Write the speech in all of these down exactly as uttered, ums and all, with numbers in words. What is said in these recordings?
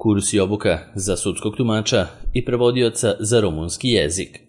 kurs i obuka za sudskog tumača i prevodioca za rumunski jezik.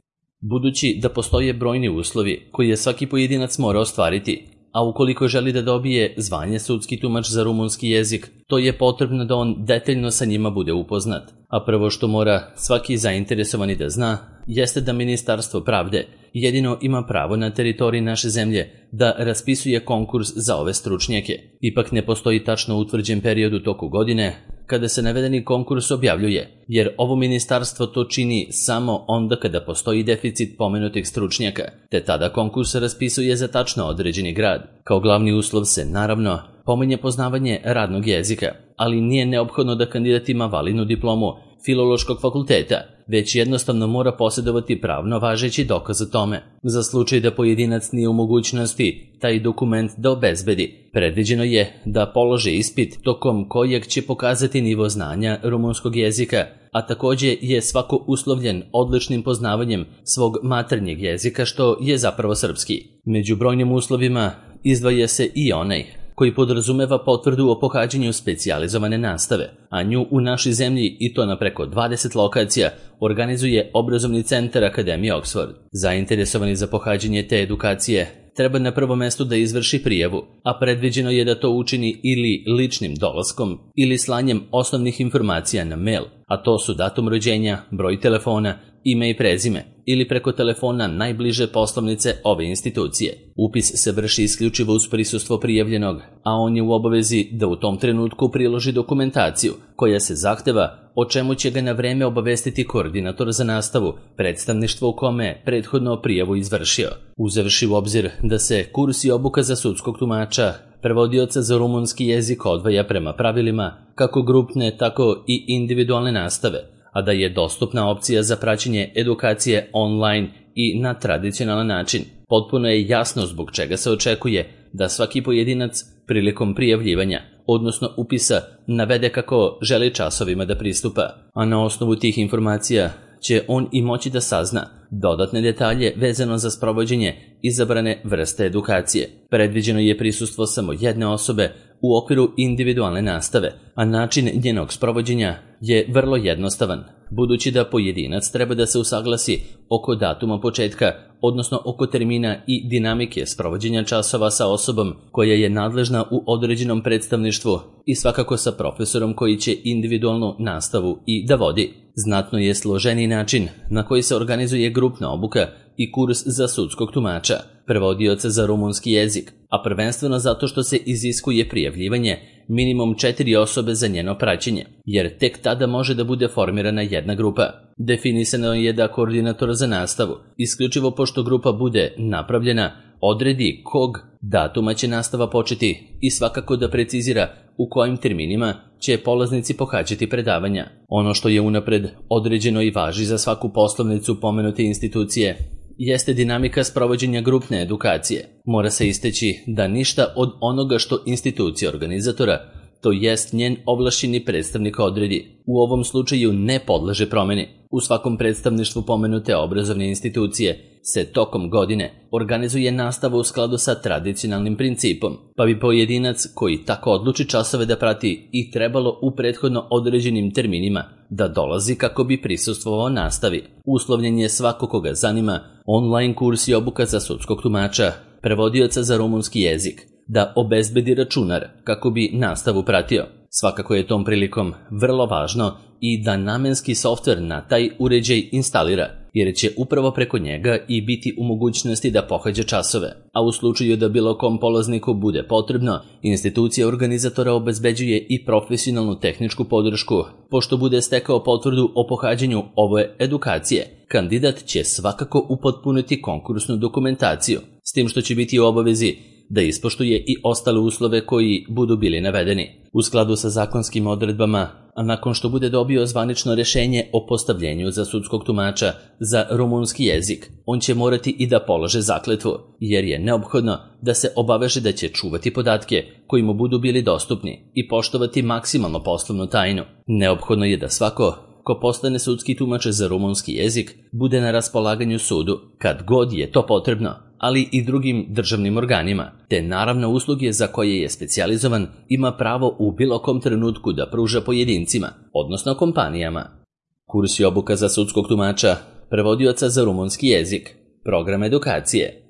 Budući da postoje brojni uslovi koje svaki pojedinac mora ostvariti, a ukoliko želi da dobije zvanje sudski tumač za rumunski jezik, to je potrebno da on detaljno sa njima bude upoznat. A prvo što mora svaki zainteresovani da zna, jeste da Ministarstvo pravde jedino ima pravo na teritoriji naše zemlje da raspisuje konkurs za ove stručnjake. Ipak ne postoji tačno utvrđen period u toku godine kada se navedeni konkurs objavljuje, jer ovo ministarstvo to čini samo onda kada postoji deficit pomenutih stručnjaka, te tada konkurs raspisuje za tačno određeni grad. Kao glavni uslov se, naravno, pominje poznavanje radnog jezika, ali nije neophodno da kandidat ima validnu diplomu Filološkog fakulteta, već jednostavno mora posjedovati pravno važeći dokaz o tome. Za slučaj da pojedinac nije u mogućnosti taj dokument da obezbedi, predviđeno je da polože ispit tokom kojeg će pokazati nivo znanja rumunskog jezika, a također je svako uslovljen odličnim poznavanjem svog maternjeg jezika, što je zapravo srpski. Među brojnim uslovima izdvaja se i onaj koji podrazumeva potvrdu o pohađanju specijalizovane nastave, a nju u našoj zemlji, i to na preko dvadeset lokacija, organizuje obrazovni centar Akademije Oxford. Zainteresovani za pohađanje te edukacije treba na prvom mestu da izvrši prijavu, a predviđeno je da to učini ili ličnim dolaskom ili slanjem osnovnih informacija na mail, a to su datum rođenja, broj telefona, ime i prezime, ili preko telefona najbliže poslovnice ove institucije. Upis se vrši isključivo uz prisustvo prijavljenog, a on je u obavezi da u tom trenutku priloži dokumentaciju koja se zahteva, o čemu će ga na vreme obavestiti koordinator za nastavu, predstavništvo u kome prethodno prijavu izvršio. Uzevši u obzir da se kurs i obuka za sudskog tumača, prevodioca za rumunski jezik odvaja prema pravilima kako grupne, tako i individualne nastave, a da je dostupna opcija za praćenje edukacije online i na tradicionalan način. Potpuno je jasno zbog čega se očekuje da svaki pojedinac prilikom prijavljivanja, odnosno upisa, navede kako želi časovima da pristupa, a na osnovu tih informacija će on i moći da sazna dodatne detalje vezano za sprovođenje izabrane vrste edukacije. Predviđeno je prisustvo samo jedne osobe u okviru individualne nastave, a način njenog sprovođenja je vrlo jednostavan, budući da pojedinac treba da se usaglasi oko datuma početka, odnosno oko termina i dinamike sprovođenja časova sa osobom koja je nadležna u određenom predstavništvu i svakako sa profesorom koji će individualnu nastavu i da vodi. Znatno je složeniji način na koji se organizuje grupna obuka i kurs za sudskog tumača, prevodioca za rumunski jezik, a prvenstveno zato što se iziskuje prijavljivanje minimum četiri osobe za njeno praćenje, jer tek tada može da bude formirana jedna grupa. Definisano je da koordinator za nastavu, isključivo pošto grupa bude napravljena, odredi kog datuma će nastava početi i svakako da precizira u kojim terminima će polaznici pohađati predavanja. Ono što je unapred određeno i važi za svaku poslovnicu pomenute institucije jeste dinamika sprovođenja grupne edukacije. Mora se isteći da ništa od onoga što institucija organizatora, to jest njen ovlašćeni predstavnik odredi, u ovom slučaju ne podleže promeni. U svakom predstavništvu pomenute obrazovne institucije se tokom godine organizuje nastava u skladu sa tradicionalnim principom, pa bi pojedinac koji tako odluči časove da prati i trebalo u prethodno određenim terminima da dolazi kako bi prisustvovao nastavi. Uslovljen je svako koga zanima online kurs i obuka za sudskog tumača, prevodioca za rumunski jezik, da obezbedi računar kako bi nastavu pratio. Svakako je tom prilikom vrlo važno i da namenski softver na taj uređaj instalira, jer će upravo preko njega i biti u mogućnosti da pohađa časove. A u slučaju da bilo kom polazniku bude potrebno, institucija organizatora obezbeđuje i profesionalnu tehničku podršku. Pošto bude stekao potvrdu o pohađanju ove edukacije, kandidat će svakako upotpuniti konkursnu dokumentaciju, s tim što će biti u obavezi da ispoštuje i ostale uslove koji budu bili navedeni. U skladu sa zakonskim odredbama, a nakon što bude dobio zvanično rešenje o postavljenju za sudskog tumača za rumunski jezik, on će morati i da polože zakletvu, jer je neophodno da se obaveže da će čuvati podatke koji mu budu bili dostupni i poštovati maksimalno poslovnu tajnu. Neophodno je da svako ko postane sudski tumač za rumunski jezik bude na raspolaganju sudu kad god je to potrebno, ali i drugim državnim organima, te naravno usluge za koje je specijalizovan ima pravo u bilo kom trenutku da pruža pojedincima, odnosno kompanijama. Kurs i obuka za sudskog tumača, prevodioca za rumunski jezik, program edukacije.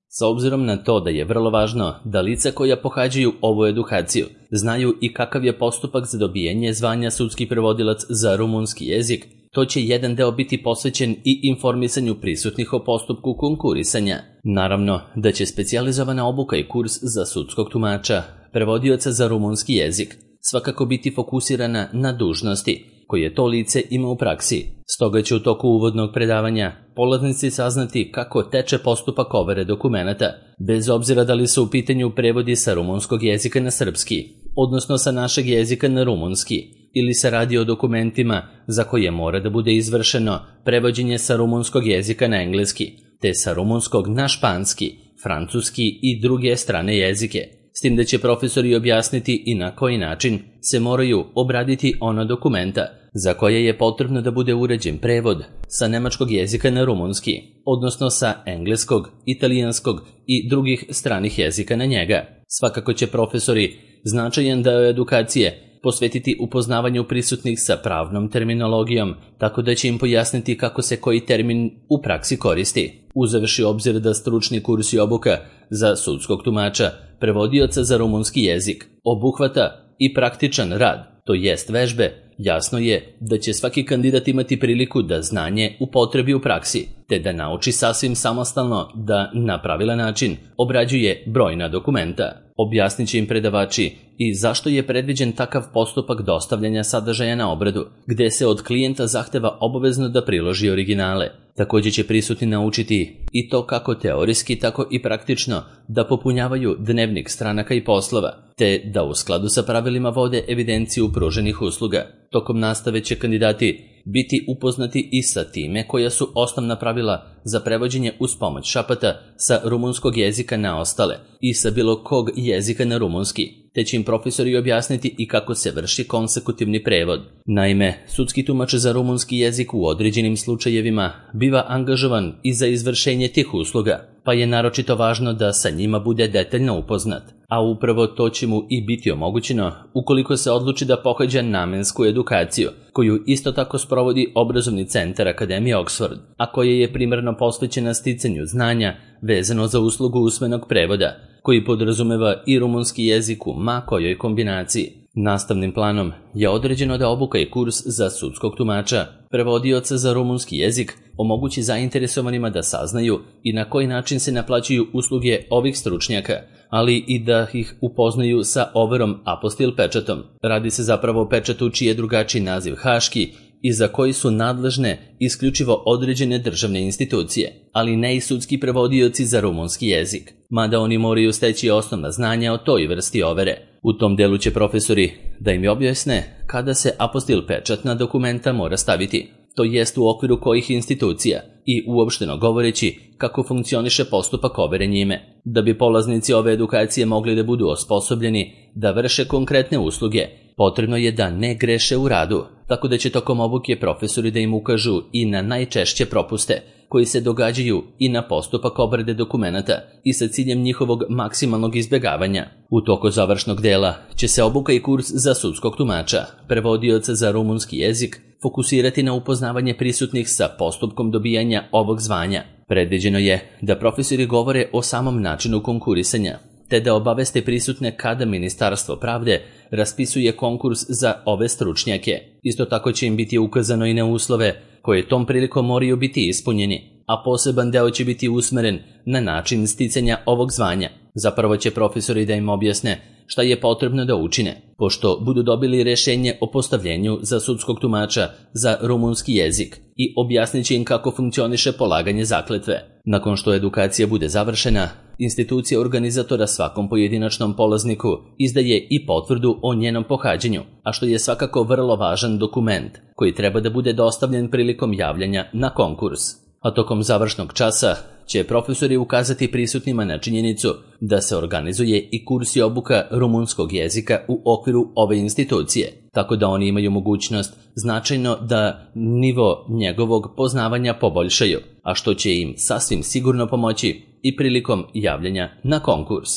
S obzirom na to da je vrlo važno da lica koja pohađaju ovu edukaciju znaju i kakav je postupak za dobijanje zvanja sudski prevodilac za rumunski jezik, to će jedan deo biti posvećen i informisanju prisutnih o postupku konkurisanja. Naravno da će specijalizovana obuka i kurs za sudskog tumača, prevodioca za rumunski jezik, svakako biti fokusirana na dužnosti koje to lice ima u praksi. Stoga će u toku uvodnog predavanja polaznici saznati kako teče postupak overe dokumenata, bez obzira da li su u pitanju prevodi sa rumunskog jezika na srpski, odnosno sa našeg jezika na rumunski, ili se radi o dokumentima za koje mora da bude izvršeno prevođenje sa rumunskog jezika na engleski, te sa rumunskog na španski, francuski i druge strane jezike. S tim da će profesori objasniti i na koji način se moraju obraditi ona dokumenta za koje je potrebno da bude urađen prevod sa nemačkog jezika na rumunski, odnosno sa engleskog, italijanskog i drugih stranih jezika na njega. Svakako će profesori značajan deo edukacije posvetiti upoznavanju prisutnih sa pravnom terminologijom, tako da će im pojasniti kako se koji termin u praksi koristi. Uzevši obzir da stručni kurs i obuka za sudskog tumača, prevodioca za rumunski jezik, obuhvata i praktičan rad, to jest vežbe, jasno je da će svaki kandidat imati priliku da znanje upotrebi u praksi, te da nauči sasvim samostalno da na pravilan način obrađuje brojna dokumenta. Objasnit će im predavači i zašto je predviđen takav postupak dostavljanja sadržaja na obradu, gde se od klijenta zahteva obavezno da priloži originale. Također će prisutni naučiti i to kako teorijski, tako i praktično da popunjavaju dnevnik stranaka i poslova, te da u skladu sa pravilima vode evidenciju pruženih usluga. Tokom nastave će kandidati biti upoznati i sa time koja su osnovna pravila za prevođenje uz pomoć šapata sa rumunskog jezika na ostale i sa bilo kog jezika na rumunski, te će im profesori objasniti i kako se vrši konsekutivni prevod. Naime, sudski tumač za rumunski jezik u određenim slučajevima biva angažovan i za izvršenje tih usluga, pa je naročito važno da sa njima bude detaljno upoznat, a upravo to će mu i biti omogućeno ukoliko se odluči da pohađa namensku edukaciju, koju isto tako sprovodi obrazovni centar Akademije Oxford, a koja je primarno posvećena sticanju znanja vezano za uslugu usmenog prevoda, koji podrazumeva i rumunski jezik u ma kojoj kombinaciji. Nastavnim planom je određeno da obuka i kurs za sudskog tumača, prevodioca za rumunski jezik, omogući zainteresovanima da saznaju i na koji način se naplaćuju usluge ovih stručnjaka, ali i da ih upoznaju sa overom apostil pečatom. Radi se zapravo o pečatu čiji je drugačiji naziv haški i za koji su nadležne isključivo određene državne institucije, ali ne i sudski prevodioci za rumunski jezik, mada oni moraju steći osnovna znanja o toj vrsti overe. U tom delu će profesori da im objasne kada se apostil pečat na dokumenta mora staviti, to jest u okviru kojih institucija i uopšteno govoreći kako funkcioniše postupak overe njime. Da bi polaznici ove edukacije mogli da budu osposobljeni da vrše konkretne usluge, potrebno je da ne greše u radu, tako da će tokom obuke profesori da im ukažu i na najčešće propuste koji se događaju i na postupak obrade dokumenata i sa ciljem njihovog maksimalnog izbjegavanja. U toku završnog dela će se obuka i kurs za sudskog tumača, prevodioca za rumunski jezik, fokusirati na upoznavanje prisutnih sa postupkom dobijanja ovog zvanja. Predviđeno je da profesori govore o samom načinu konkurisanja, te da obaveste prisutne kada Ministarstvo pravde raspisuje konkurs za ove stručnjake. Isto tako će im biti ukazano i na uslove koje tom prilikom moraju biti ispunjeni, a poseban deo će biti usmeren na način sticanja ovog zvanja. Zapravo će profesori da im objasne šta je potrebno da učine, pošto budu dobili rješenje o postavljenju za sudskog tumača za rumunski jezik i objasnit će im kako funkcioniše polaganje zakletve. Nakon što edukacija bude završena, institucija organizatora svakom pojedinačnom polazniku izdaje i potvrdu o njenom pohađanju, a što je svakako vrlo važan dokument koji treba da bude dostavljen prilikom javljanja na konkurs. A tokom završnog časa će profesori ukazati prisutnima na činjenicu da se organizuje i kurs i obuka rumunskog jezika u okviru ove institucije, tako da oni imaju mogućnost značajno da nivo njegovog poznavanja poboljšaju, a što će im sasvim sigurno pomoći i prilikom javljanja na konkurs.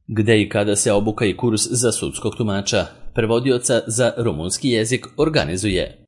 Gde i kada se obuka i kurs za sudskog tumača, prevodioca za rumunski jezik organizuje?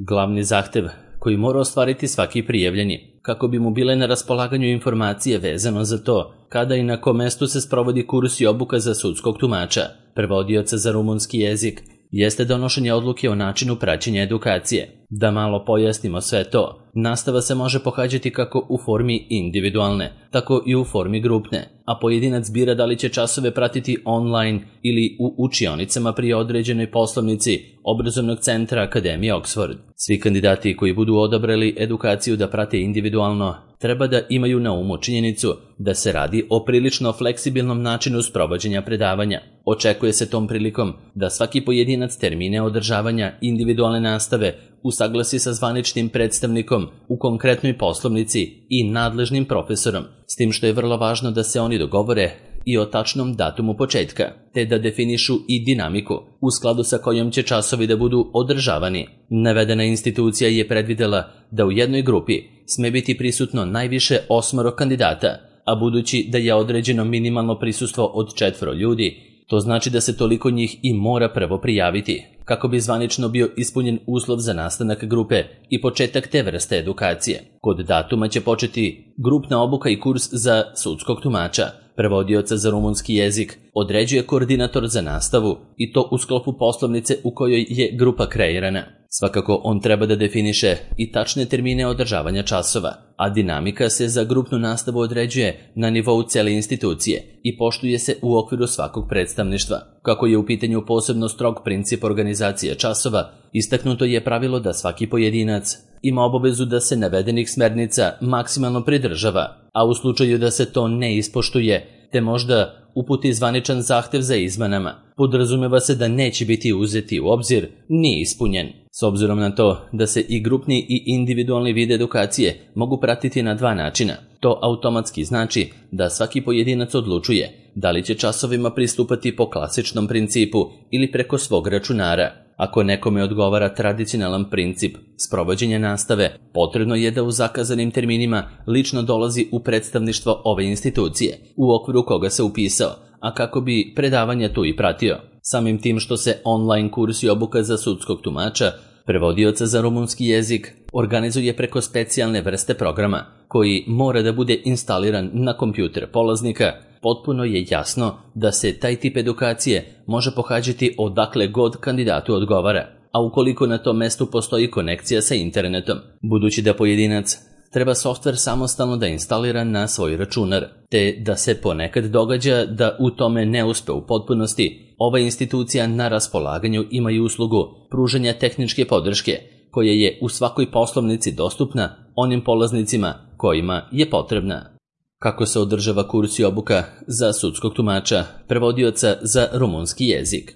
Glavni zahtev koji mora ostvariti svaki prijavljeni, kako bi mu bile na raspolaganju informacije vezano za to kada i na kom mestu se sprovodi kurs i obuka za sudskog tumača, prevodioca za rumunski jezik, jeste donošenje odluke o načinu praćenja edukacije. Da malo pojasnimo sve to, nastava se može pohađati kako u formi individualne, tako i u formi grupne, a pojedinac bira da li će časove pratiti online ili u učionicama pri određenoj poslovnici obrazovnog centra Akademije Oxford. Svi kandidati koji budu odabrali edukaciju da prate individualno treba da imaju na umu činjenicu da se radi o prilično fleksibilnom načinu sprovođenja predavanja. Očekuje se tom prilikom da svaki pojedinac termine održavanja individualne nastave usaglasi sa zvaničnim predstavnikom u konkretnoj poslovnici i nadležnim profesorom, s tim što je vrlo važno da se oni dogovore i o tačnom datumu početka, te da definišu i dinamiku u skladu sa kojom će časovi da budu održavani. Navedena institucija je predvidela da u jednoj grupi sme biti prisutno najviše osmoro kandidata, a budući da je određeno minimalno prisustvo od četvoro ljudi, to znači da se toliko njih i mora prvo prijaviti, kako bi zvanično bio ispunjen uslov za nastanak grupe i početak te vrste edukacije. Kod datuma će početi grupna obuka i kurs za sudskog tumača. Prevodioca za rumunski jezik određuje koordinator za nastavu i to u sklopu poslovnice u kojoj je grupa kreirana. Svakako on treba da definiše i tačne termine održavanja časova, a dinamika se za grupnu nastavu određuje na nivou cele institucije i poštuje se u okviru svakog predstavništva. Kako je u pitanju posebno strog princip organizacije časova, istaknuto je pravilo da svaki pojedinac ima obavezu da se navedenih smernica maksimalno pridržava, a u slučaju da se to ne ispoštuje, te možda uputi zvaničan zahtev za izmenama, podrazumeva se da neće biti uzeti u obzir ni ispunjen. S obzirom na to da se i grupni i individualni vid edukacije mogu pratiti na dva načina, to automatski znači da svaki pojedinac odlučuje da li će časovima pristupati po klasičnom principu ili preko svog računara. Ako nekome odgovara tradicionalan princip sprovođenja nastave, potrebno je da u zakazanim terminima lično dolazi u predstavništvo ove institucije, u okviru koga se upisao, a kako bi predavanja tu i pratio. Samim tim što se online kurs i obuka za sudskog tumača, prevodioca za rumunski jezik, organizuje preko specijalne vrste programa, koji mora da bude instaliran na kompjuter polaznika, potpuno je jasno da se taj tip edukacije može pohađati odakle god kandidatu odgovara, a ukoliko na tom mestu postoji konekcija sa internetom, budući da pojedinac treba softver samostalno da instalira na svoj računar, te da se ponekad događa da u tome ne uspe u potpunosti, ova institucija na raspolaganju ima i uslugu pružanja tehničke podrške, koja je u svakoj poslovnici dostupna onim polaznicima kojima je potrebna. Kako se održava kurs i obuka za sudskog tumača, prevodioca za rumunski jezik?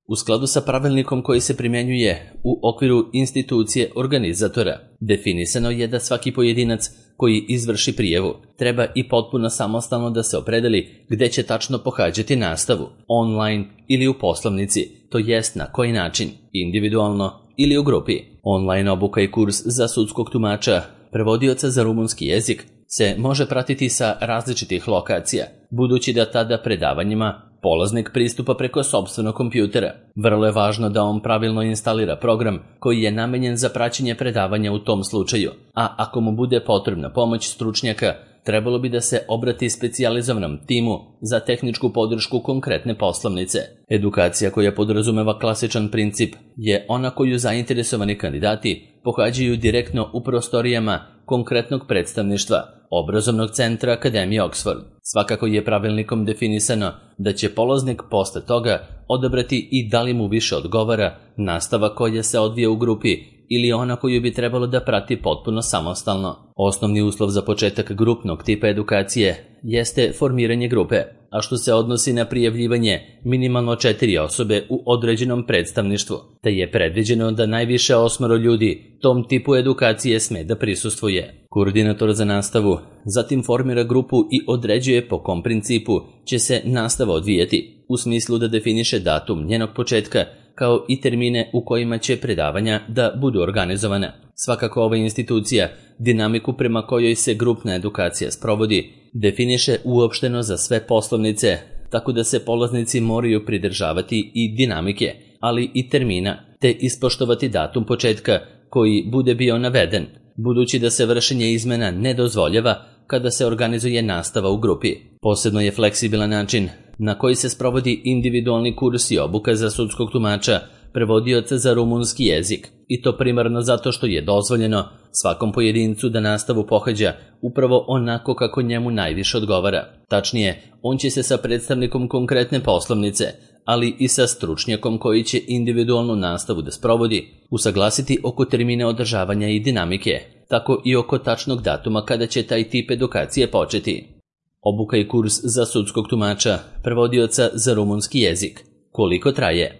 U skladu sa pravilnikom koji se primjenjuje u okviru institucije organizatora, definisano je da svaki pojedinac koji izvrši prijavu treba i potpuno samostalno da se opredeli gde će tačno pohađati nastavu, online ili u poslovnici, to jest na koji način, individualno ili u grupi. Online obuka i kurs za sudskog tumača, prevodioca za rumunski jezik, se može pratiti sa različitih lokacija, budući da tada predavanjima polaznik pristupa preko sopstvenog kompjutera. Vrlo je važno da on pravilno instalira program koji je namenjen za praćenje predavanja u tom slučaju, a ako mu bude potrebna pomoć stručnjaka, trebalo bi da se obrati specijalizovanom timu za tehničku podršku konkretne poslovnice. Edukacija koja podrazumeva klasičan princip je ona koju zainteresovani kandidati pohađaju direktno u prostorijama konkretnog predstavništva obrazovnog centra Akademije Oxford. Svakako je pravilnikom definisano da će polaznik posle toga odabrati i da li mu više odgovara nastava koja se odvija u grupi ili ona koju bi trebalo da prati potpuno samostalno. Osnovni uslov za početak grupnog tipa edukacije jeste formiranje grupe, a što se odnosi na prijavljivanje minimalno četiri osobe u određenom predstavništvu, te je predviđeno da najviše osmoro ljudi tom tipu edukacije sme da prisustvuje. Koordinator za nastavu zatim formira grupu i određuje po kom principu će se nastava odvijati, u smislu da definiše datum njenog početka, kao i termine u kojima će predavanja da budu organizovane. Svakako ova institucija dinamiku prema kojoj se grupna edukacija sprovodi definiše uopšteno za sve poslovnice, tako da se polaznici moraju pridržavati i dinamike, ali i termina, te ispoštovati datum početka koji bude bio naveden, budući da se vršenje izmena ne dozvoljava kada se organizuje nastava u grupi. Posebno je fleksibilan način na koji se sprovodi individualni kurs i obuka za sudskog tumača, prevodioca za rumunski jezik, i to primarno zato što je dozvoljeno svakom pojedincu da nastavu pohađa upravo onako kako njemu najviše odgovara. Tačnije, on će se sa predstavnikom konkretne poslovnice, ali i sa stručnjakom koji će individualnu nastavu da sprovodi, usaglasiti oko termina održavanja i dinamike, tako i oko tačnog datuma kada će taj tip edukacije početi. Obuka i kurs za sudskog tumača, prevodioca za rumunski jezik. Koliko traje?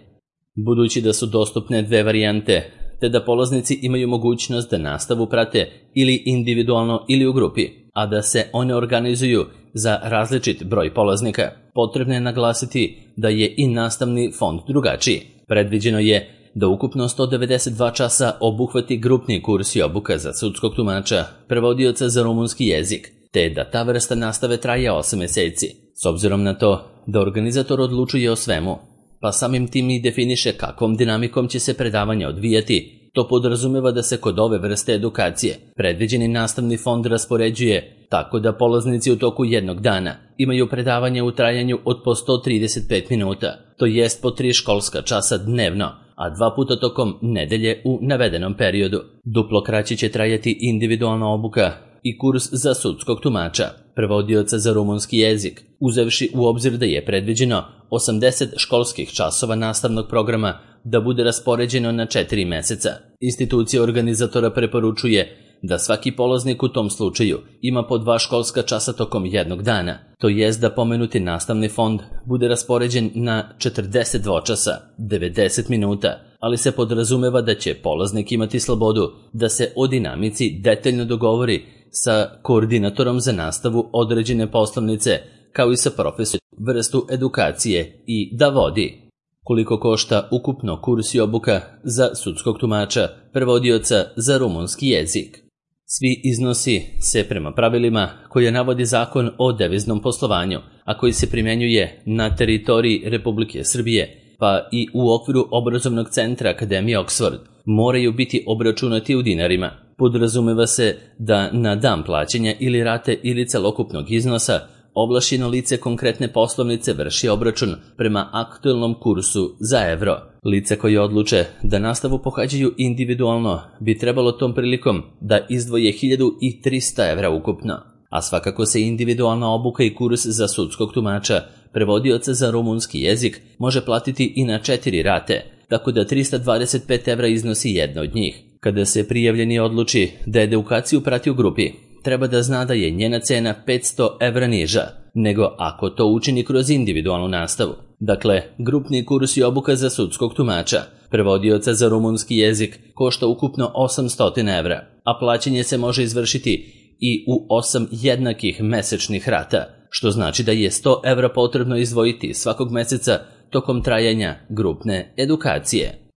Budući da su dostupne dve varijante, te da polaznici imaju mogućnost da nastavu prate ili individualno ili u grupi, a da se one organizuju za različit broj polaznika, potrebno je naglasiti da je i nastavni fond drugačiji. Predviđeno je da ukupno sto devedeset dva časa obuhvati grupni kurs i obuka za sudskog tumača, prevodioca za rumunski jezik, te da ta vrsta nastave traje osam meseci. S obzirom na to da organizator odlučuje o svemu, pa samim tim i definiše kakvom dinamikom će se predavanja odvijati, to podrazumeva da se kod ove vrste edukacije predviđeni nastavni fond raspoređuje tako da polaznici u toku jednog dana imaju predavanje u trajanju od po sto trideset pet minuta, to jest po tri školska časa dnevno, a dva puta tokom nedelje u navedenom periodu. Duplo kraće će trajati individualna obuka i kurs za sudskog tumača, prevodioca za rumunski jezik, uzevši u obzir da je predviđeno osamdeset školskih časova nastavnog programa da bude raspoređeno na četiri meseca. Institucija organizatora preporučuje da svaki polaznik u tom slučaju ima po dva školska časa tokom jednog dana, to jest da pomenuti nastavni fond bude raspoređen na četrdeset dvočasa, devedeset minuta, ali se podrazumeva da će polaznik imati slobodu da se o dinamici detaljno dogovori sa koordinatorom za nastavu određene poslovnice, kao i sa profesorom vrstu edukacije i da vodi. Koliko košta ukupno kurs i obuka za sudskog tumača, prevodioca za rumunski jezik? Svi iznosi se prema pravilima koje navodi Zakon o deviznom poslovanju, a koji se primjenjuje na teritoriji Republike Srbije, pa i u okviru obrazovnog centra Akademije Oxford, moraju biti obračunati u dinarima. Podrazumeva se da na dan plaćanja ili rate ili celokupnog iznosa ovlašćeno lice konkretne poslovnice vrši obračun prema aktuelnom kursu za evro. Lice koje odluče da nastavu pohađaju individualno bi trebalo tom prilikom da izdvoje hiljadu trista evra ukupno, a svakako se individualna obuka i kurs za sudskog tumača, prevodioca za rumunski jezik, može platiti i na četiri rate, tako da trista dvadeset pet evra iznosi jedna od njih. Kada se prijavljeni odluči da edukaciju prati u grupi, treba da zna da je njena cena petsto evra niža nego ako to učini kroz individualnu nastavu. Dakle, grupni kurs i obuka za sudskog tumača, prevodioca za rumunski jezik, košta ukupno osamsto evra, a plaćanje se može izvršiti i u osam jednakih mesečnih rata, što znači da je sto evra potrebno izdvojiti svakog meseca tokom trajanja grupne edukacije.